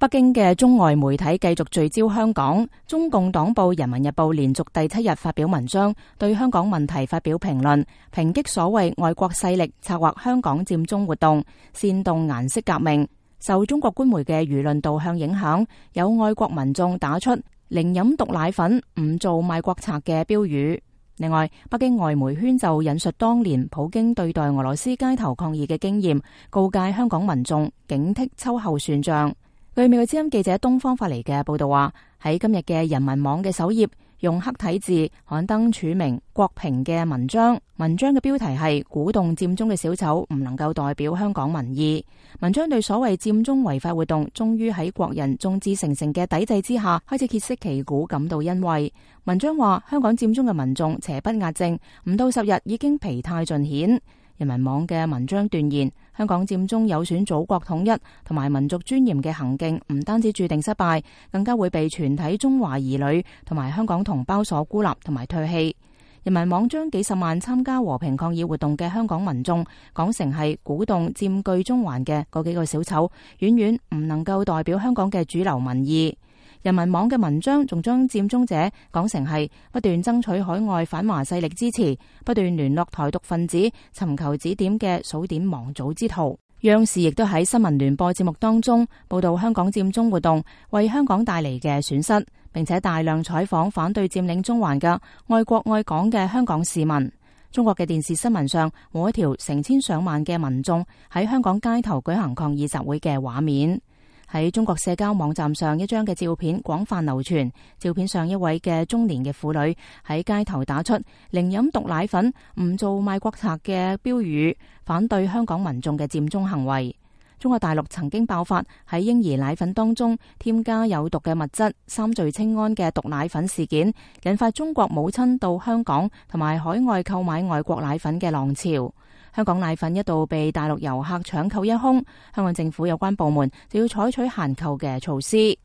北京嘅中外媒體繼續聚焦香港。中共黨報《人民日報》連續第7日發表文章，對香港問題發表評論，抨擊所謂外國勢力策劃香港佔中活動，煽動顏色革命。受中國官媒嘅輿論導向影響，有外國民眾打出寧飲毒奶粉，唔做賣國賊嘅標語。另外，北京外媒圈就引述當年普京對待俄羅斯街頭抗議嘅經驗，告誡香港民眾警惕秋後算賬。據美國之音記者東方發嚟嘅報道話，喺今日嘅人民網嘅首頁，用黑體字刊登署名郭平嘅文章。文章嘅標題係鼓動佔中嘅小丑唔能夠代表香港民意。文章對所謂佔中違法活動終於喺國人眾志成城嘅抵制之下開始歇息旗鼓感到欣慰。文章話，香港佔中嘅民眾邪不壓正，唔到10日已經疲態盡顯。人民網嘅文章斷言，香港佔中有損祖國統一同埋民族尊嚴嘅行徑，唔單止注定失敗，更加會被全體中華兒女同埋香港同胞所孤立同埋唾棄。人民網將幾十萬參加和平抗議活動嘅香港民眾講成係鼓動佔據中環嘅嗰幾個小丑，遠遠唔能夠代表香港嘅主流民意。人民網嘅文章仲將佔中者講成係不斷爭取海外反華勢力支持，不斷聯絡台獨分子，尋求指點嘅數典忘祖之徒。央視亦都喺新聞聯播節目當中報道香港佔中活動為香港帶嚟嘅損失，並且大量採訪反對佔領中環嘅愛國愛港嘅香港市民。中國嘅電視新聞上冇一條成千上萬嘅民眾喺香港街頭舉行抗議集會嘅畫面。喺中國社交網站上，一張嘅照片廣泛流傳。照片上一位嘅中年嘅婦女喺街頭打出寧飲毒奶粉，唔做賣國賊嘅標語，反對香港民眾嘅佔中行為。中國大陸曾經爆發喺嬰兒奶粉當中添加有毒嘅物質三聚氰胺嘅毒奶粉事件，引發中國母親到香港同埋海外購買外國奶粉嘅浪潮。香港奶粉一度被大陸遊客搶購一空，香港政府有關部門就要採取限購嘅措施。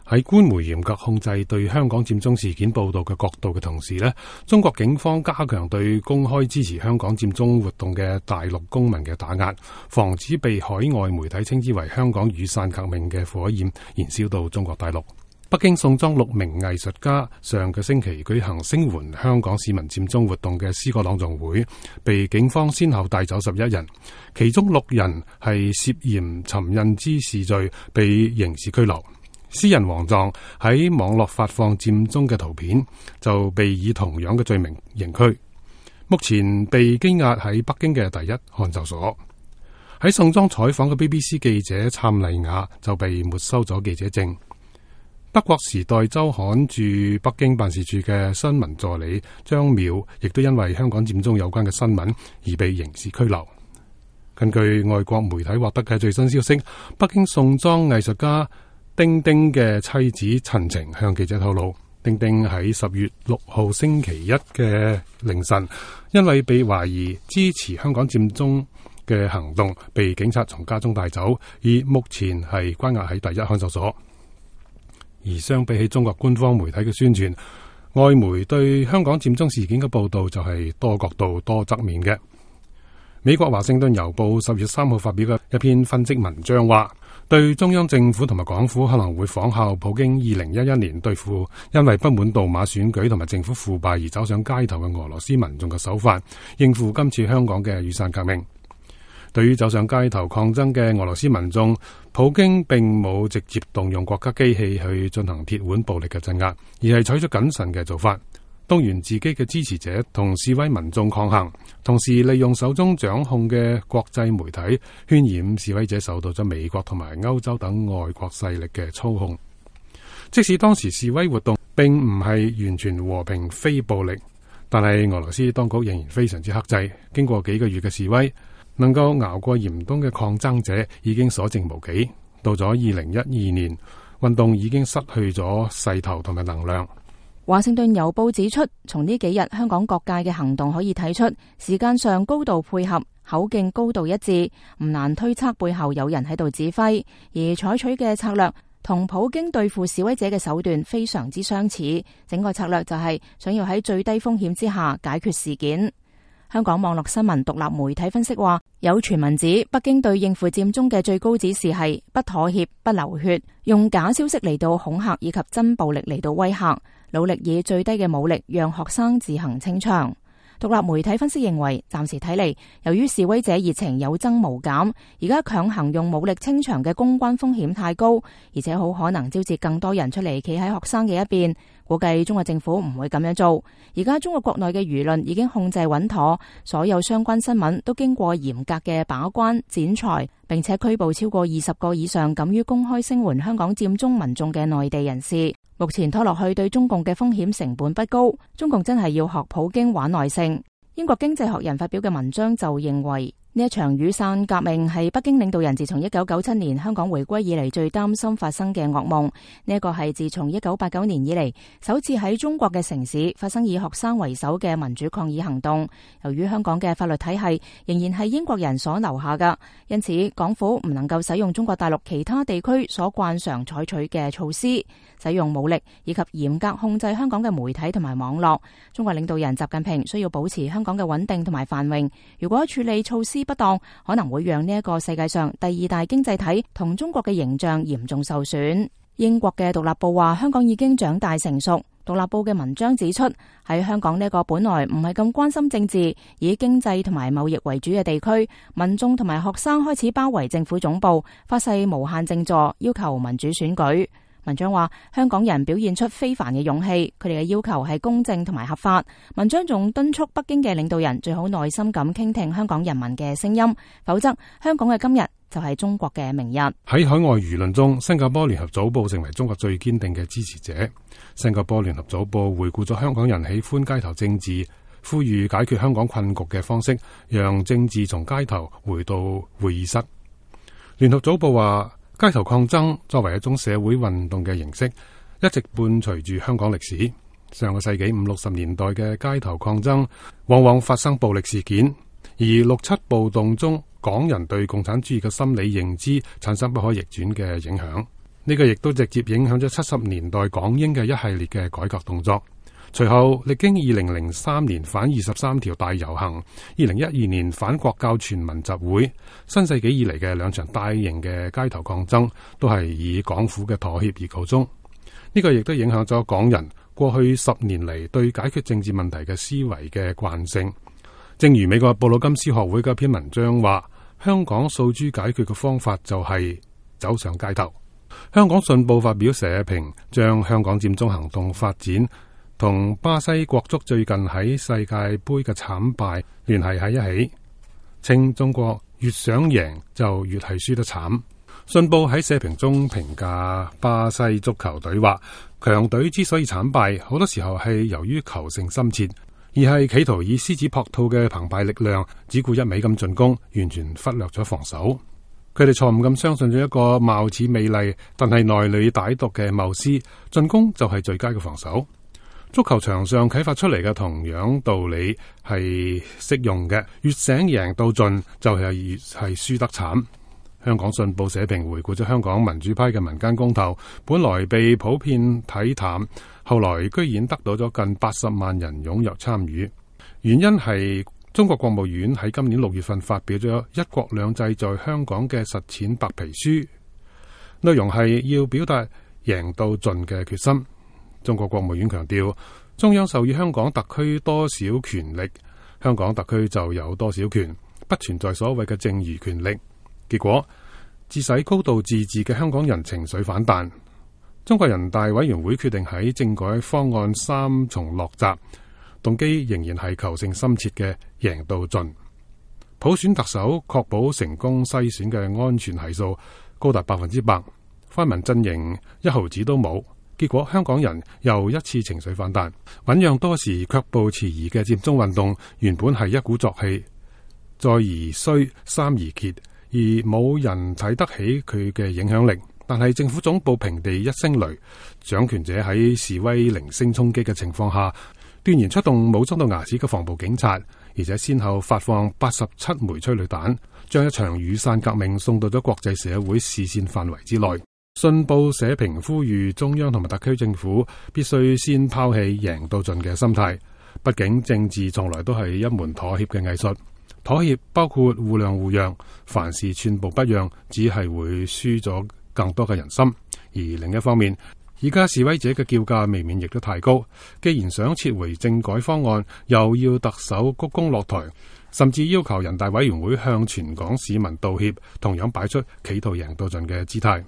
喺官媒嚴格控制對香港佔中事件報道嘅角度嘅同時呢，中國警方加強對公開支持香港佔中活動嘅大陸公民嘅打壓，防止被海外媒體稱之為香港雨傘革命嘅火焰燃燒到中國大陸。北京宋莊6名藝術家上個星期舉行聲援香港市民佔中活動嘅詩歌朗誦會，被警方先後帶走11人，其中6人係涉嫌尋釁滋事罪被刑事拘留。詩人黃壯喺網絡發放佔中嘅圖片，就被以同樣嘅罪名刑拘，目前被羈押喺北京嘅第一看守所。喺宋莊採訪嘅 BBC 記者蔡麗雅就被沒收咗記者證。德國時代週刊駐北京辦事處嘅新聞助理張淼亦都因為香港佔中有關嘅新聞而被刑事拘留。根據外國媒體獲得嘅最新消息，北京宋莊藝術家丁丁嘅妻子陳晴向記者透露，丁丁喺10月6號星期一嘅凌晨，因為被懷疑支持香港佔中嘅行動，被警察從家中帶走，而目前係關押喺第一看守所。而相比起中國官方媒體嘅宣傳，外媒對香港佔中事件嘅報道就係多角度多側面嘅。美國華盛頓郵報10月3號發表嘅一篇分析文章話，對中央政府同埋港府可能會仿效普京2011年對付因為不滿杜馬選舉同埋政府腐敗而走上街頭嘅俄羅斯民眾嘅手法，應付今次香港嘅雨傘革命。對於走上街頭抗爭嘅俄羅斯民眾，普京並冇直接動用國家機器去進行鐵腕暴力嘅鎮壓，而係採取謹慎嘅做法，動員自己嘅支持者同示威民眾抗衡，同時利用手中掌控嘅國際媒體渲染示威者受到咗美國同埋歐洲等外國勢力嘅操控。即使當時示威活動並唔係完全和平非暴力，但係俄羅斯當局仍然非常之克制。經過幾個月嘅示威，能夠熬過嚴冬嘅抗爭者已經所剩無幾。到咗2012年，運動已經失去咗勢頭同埋能量。華盛頓郵報指出，從呢幾日香港各界嘅行動可以睇出，時間上高度配合，口徑高度一致，唔難推測背後有人喺度指揮，而採取嘅策略同普京對付示威者嘅手段非常之相似。整個策略就係想要喺最低風險之下解決事件。香港網絡新聞獨立媒體分析話，有傳聞指北京對應付佔中嘅最高指示係不妥協、不流血，用假消息嚟到恐嚇以及真暴力嚟到威嚇，努力以最低嘅武力讓學生自行清場。獨立媒體分析認為，暫時睇嚟，由於示威者熱情有增無減，而家強行用武力清場嘅公關風險太高，而且好可能招致更多人出嚟企喺學生嘅一邊。估計中國政府唔會咁樣做。而家中國國內嘅輿論已經控制穩妥，所有相關新聞都經過嚴格嘅把關剪裁，並且拘捕超過20個以上敢於公開聲援香港佔中民眾嘅內地人士。目前拖落去對中共嘅風險成本不高，中共真係要學普京玩耐性。英國經濟學人發表嘅文章就認為，呢一場雨傘革命係北京領導人自從1997年香港回歸以嚟最擔心發生嘅噩夢。呢一個係自從1989年以嚟首次喺中國嘅城市發生以學生為首嘅民主抗議行動。由於香港嘅法律體系仍然係英國人所留下㗎，因此港府唔能夠使用中國大陸其他地區所慣常採取嘅措施，使用武力以及嚴格控制香港嘅媒體同埋網絡。中國領導人習近平需要保持香港嘅穩定同埋繁榮。如果處理措施不當，可能會讓呢一個世界上第二大經濟體同中國嘅形象嚴重受損。英國嘅獨立報話，香港已經長大成熟。獨立報嘅文章指出，喺香港呢個本來唔係咁關心政治，以經濟同埋貿易為主嘅地區，民眾同埋學生開始包圍政府總部，發誓無限靜坐，要求民主選舉。文章話，香港人表現出非凡嘅勇氣，佢哋嘅要求係公正同埋合法。文章仲敦促北京嘅領導人最好耐心咁傾聽香港人民嘅聲音，否則香港嘅今日就係中國嘅明日。喺海外輿論中，新加坡聯合早報成為中國最堅定嘅支持者。新加坡聯合早報回顧咗香港人喜歡街頭政治，呼籲解決香港困局嘅方式，讓政治從街頭回到會議室。聯合早報話，街頭抗爭作為一種社會運動嘅形式，一直伴隨住香港歷史。上個世紀50、60年代嘅街頭抗爭往往發生暴力事件，而6·7暴動中港人對共產主義嘅心理認知產生不可逆轉嘅影響。呢個亦都直接影響咗70年代港英嘅一系列嘅改革動作。隨後歷經2003年反23條大遊行、2012年反國教全民集會，新世紀以嚟嘅2場大型嘅街頭抗爭都係以港府嘅妥協而告終。呢個亦都影響咗港人過去10年嚟對解決政治問題嘅思維嘅慣性。正如美國布魯金斯學會嘅一篇文章話，香港訴諸解決嘅方法就係走上街頭。香港信報發表社評，將香港佔中行動發展同巴西國足最近喺世界盃嘅慘敗聯繫喺一起，稱中國越想贏就越係輸得慘。信報喺社評中評價巴西足球隊話，強隊之所以慘敗，好多時候係由於求勝心切，而係企圖以獅子撲兔嘅澎湃力量，只顧一味咁進攻，完全忽略咗防守。佢哋錯誤咁相信咗一個貌似美麗但係內裏歹毒嘅謬思，進攻就係最佳嘅防守。足球場上啟發出嚟嘅同樣道理係適用嘅，越想贏到盡就係越係輸得慘。香港信報社評回顧咗香港民主派嘅民間公投，本來被普遍睇淡，後來居然得到咗近80萬人踴躍參與。原因係中國國務院喺今年6月份發表咗《一國兩制在香港嘅實踐白皮書》，內容係要表達贏到盡嘅決心。中國國務院強調，中央授予香港特區多少權力，香港特區就有多少權，不存在所謂嘅剩餘權力。結果，自使高度自治嘅香港人情緒反彈。中國人大委員會決定喺政改方案3重落閘，動機仍然係求勝心切嘅贏到盡。普選特首確保成功篩選嘅安全係數高達100%，泛民陣營1毫子都冇。結果香港人又一次情緒反彈，醞釀多時卻步遲疑嘅佔中運動，原本係一鼓作氣，再而衰，三而竭，而冇人睇得起佢嘅影響力。但係政府總部平地一聲雷，掌權者喺示威零星衝擊嘅情況下，斷然出動武裝到牙齒嘅防暴警察，而且先後發放87枚催淚彈，將一場雨傘革命送到咗國際社會視線範圍之內。信報社評呼籲中央同埋特區政府必須先拋棄贏到盡嘅心態，畢竟政治從來都係一門妥協嘅藝術，妥協包括互諒互讓，凡事寸步不讓，只係會輸咗更多嘅人心。而另一方面，而家示威者嘅叫價未免亦都太高，既然想撤回政改方案，又要特首鞠躬落台，甚至要求人大委員會向全港市民道歉，同樣擺出企圖贏到盡嘅姿態。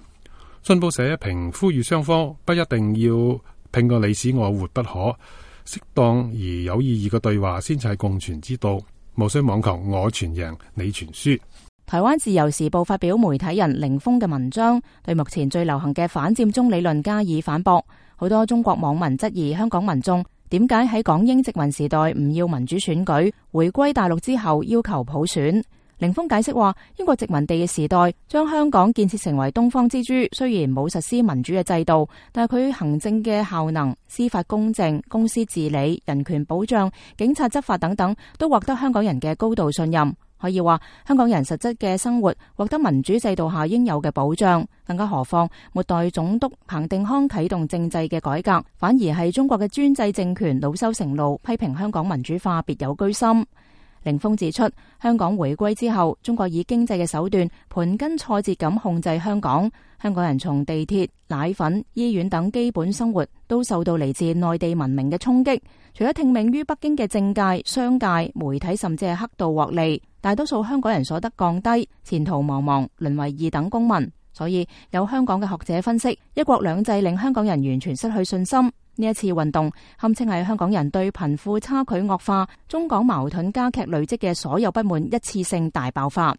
信報社評呼籲雙方不一定要拼個你死我活不可，適當而有意義嘅對話先至係共存之道，無需妄求我全贏你全輸。台灣自由時報發表媒體人凌峰嘅文章，對目前最流行嘅反佔中理論加以反駁。好多中國網民質疑香港民眾點解喺港英殖民時代唔要民主選舉，回歸大陸之後要求普選。凌峰解釋話，英國殖民地嘅時代將香港建設成為東方之珠，雖然冇實施民主嘅制度，但係佢行政嘅效能、司法公正、公司治理、人權保障、警察執法等等，都獲得香港人嘅高度信任。可以話，香港人實質嘅生活獲得民主制度下應有嘅保障。更加何況，末代總督彭定康啟動政制嘅改革，反而係中國嘅專制政權惱羞成怒，批評香港民主化別有居心。凌峰指出，香港回歸之後，中國以經濟嘅手段盤根錯節咁控制香港。香港人從地鐵、奶粉、醫院等基本生活都受到嚟自內地文明嘅衝擊。除咗聽命於北京嘅政界、商界、媒體，甚至係黑道獲利，大多數香港人所得降低，前途茫茫，淪為二等公民。所以有香港嘅學者分析，一國兩制令香港人完全失去信心。呢一次運動堪稱係香港人對貧富差距惡化、中港矛盾加劇累積嘅所有不滿一次性大爆發。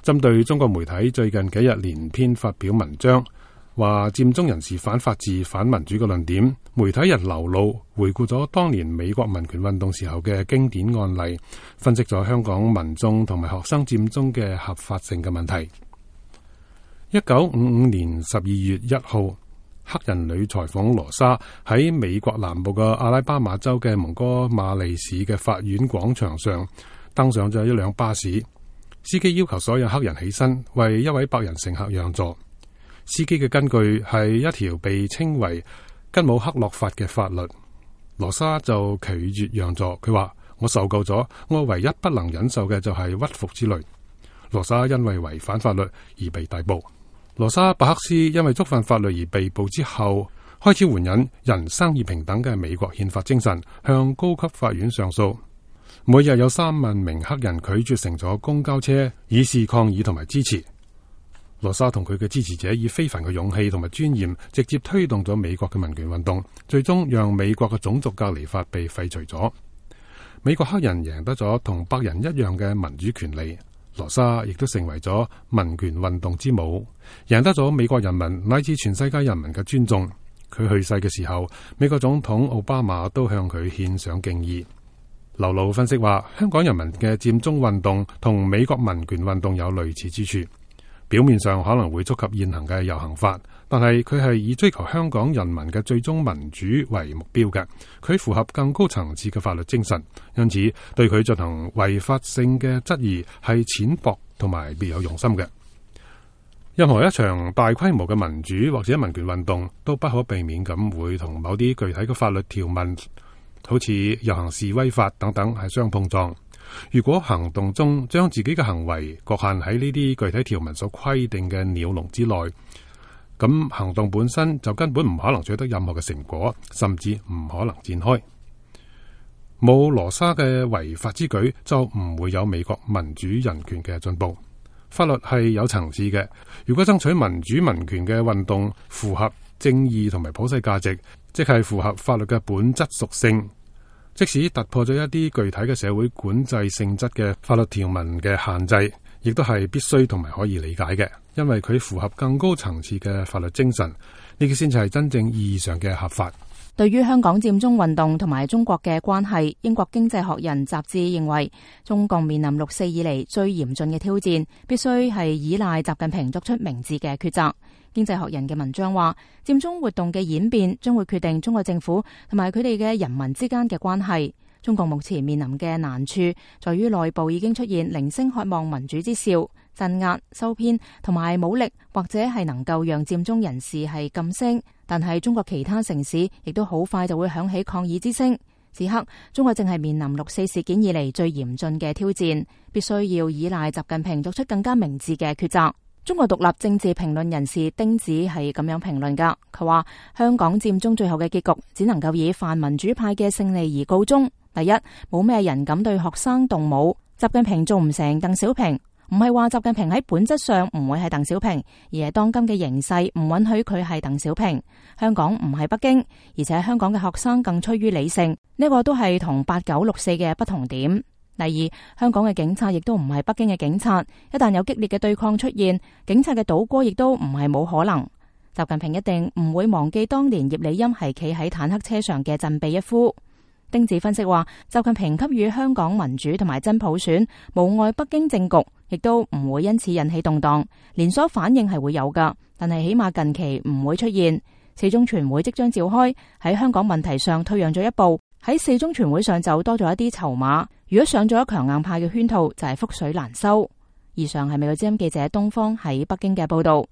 針對中國媒體最近幾日連篇發表文章，話佔中人士反法治、反民主嘅論點，媒體人劉露回顧咗當年美國民權運動時候嘅經典案例，分析咗香港民眾同埋學生佔中嘅合法性嘅問題。1955年12月1號，黑人女裁縫羅莎喺美國南部嘅阿拉巴馬州嘅蒙哥馬利市嘅法院廣場上登上咗一輛巴士，司機要求所有黑人起身為一位白人乘客讓座。司機嘅根據係一條被稱為吉姆克洛法嘅法律，羅莎就拒絕讓座。佢話：我受夠咗，我唯一不能忍受嘅就係屈服之類。羅莎因為違反法律而被逮捕。羅莎伯克斯因為觸犯法律而被捕之後，開始援引人生而平等嘅美國憲法精神，向高級法院上訴。每日有3萬名黑人拒絕乘坐公交車，以示抗議同埋支持。羅莎同佢嘅支持者以非凡嘅勇氣同埋尊嚴，直接推動咗美國嘅民權運動，最終讓美國嘅種族隔離法被廢除咗。美國黑人贏得咗同白人一樣嘅民主權利。羅莎亦都成為咗民權運動之母，贏得咗美國人民乃至全世界人民嘅尊重。佢去世嘅時候，美國總統奧巴馬都向佢獻上敬意。劉露分析話，香港人民嘅佔中運動同美國民權運動有類似之處，表面上可能會觸及現行嘅遊行法，但係佢係以追求香港人民嘅最終民主為目標嘅，佢符合更高層次嘅法律精神，因此對佢進行違法性嘅質疑係淺薄同埋別有用心嘅。任何一場大規模嘅民主或者民權運動都不可避免咁會同某啲具體嘅法律條文，好似遊行示威法等等係相碰撞。如果行動中將自己嘅行為局限喺呢啲具體條文所規定嘅鳥籠之內，咁行動本身就根本唔可能取得任何嘅成果，甚至唔可能展開。冇羅莎嘅違法之舉，就唔會有美國民主人權嘅進步。法律係有層次嘅，如果爭取民主民權嘅運動符合正義同埋普世價值，即係符合法律嘅本質屬性，即使突破咗一啲具體嘅社會管制性質嘅法律條文嘅限制，亦都係必須同埋可以理解嘅，因為佢符合更高層次嘅法律精神，呢個先至係真正意義上嘅合法。對於香港佔中運動同埋中國嘅關係，英國經濟學人雜誌認為，中共面臨6·4以嚟最嚴峻嘅挑戰，必須係依賴習近平作出明智嘅抉擇。經濟學人嘅文章話，佔中活動嘅演變將會決定中國政府同埋佢哋嘅人民之間嘅關係。中共目前面臨嘅難處，在於內部已經出現零星渴望民主之兆，鎮壓、收編同埋武力，或者係能夠讓佔中人士係噤聲。但係中國其他城市亦都好快就會響起抗議之聲。此刻中國正係面臨6.4事件以嚟最嚴峻嘅挑戰，必須要依賴習近平作出更加明智嘅抉擇。中國獨立政治評論人士丁子係咁樣評論噶，佢話香港佔中最後嘅結局只能夠以泛民主派嘅勝利而告終。第一，冇咩人敢對學生動武，習近平做唔成鄧小平。唔係話習近平喺本質上唔會係鄧小平，而係當今嘅形勢唔允許佢係鄧小平。香港唔係北京，而且香港嘅學生更趨於理性，呢個都係同89、64嘅不同點。第二，香港嘅警察亦都唔係北京嘅警察，一旦有激烈嘅對抗出現，警察嘅倒戈亦都唔係冇可能。習近平一定唔會忘記當年葉利欽係企喺坦克車上嘅振臂一呼。丁子分析話，習近平給予香港民主同埋真普選，無礙北京政局，亦都唔會因此引起動盪，連鎖反應係會有噶，但係起碼近期唔會出現。四中全會即將召開，喺香港問題上退讓咗一步，喺四中全會上就多咗一啲籌碼。如果上咗強硬派嘅圈套，就係覆水難收。以上係美國之音記者東方喺北京嘅報道。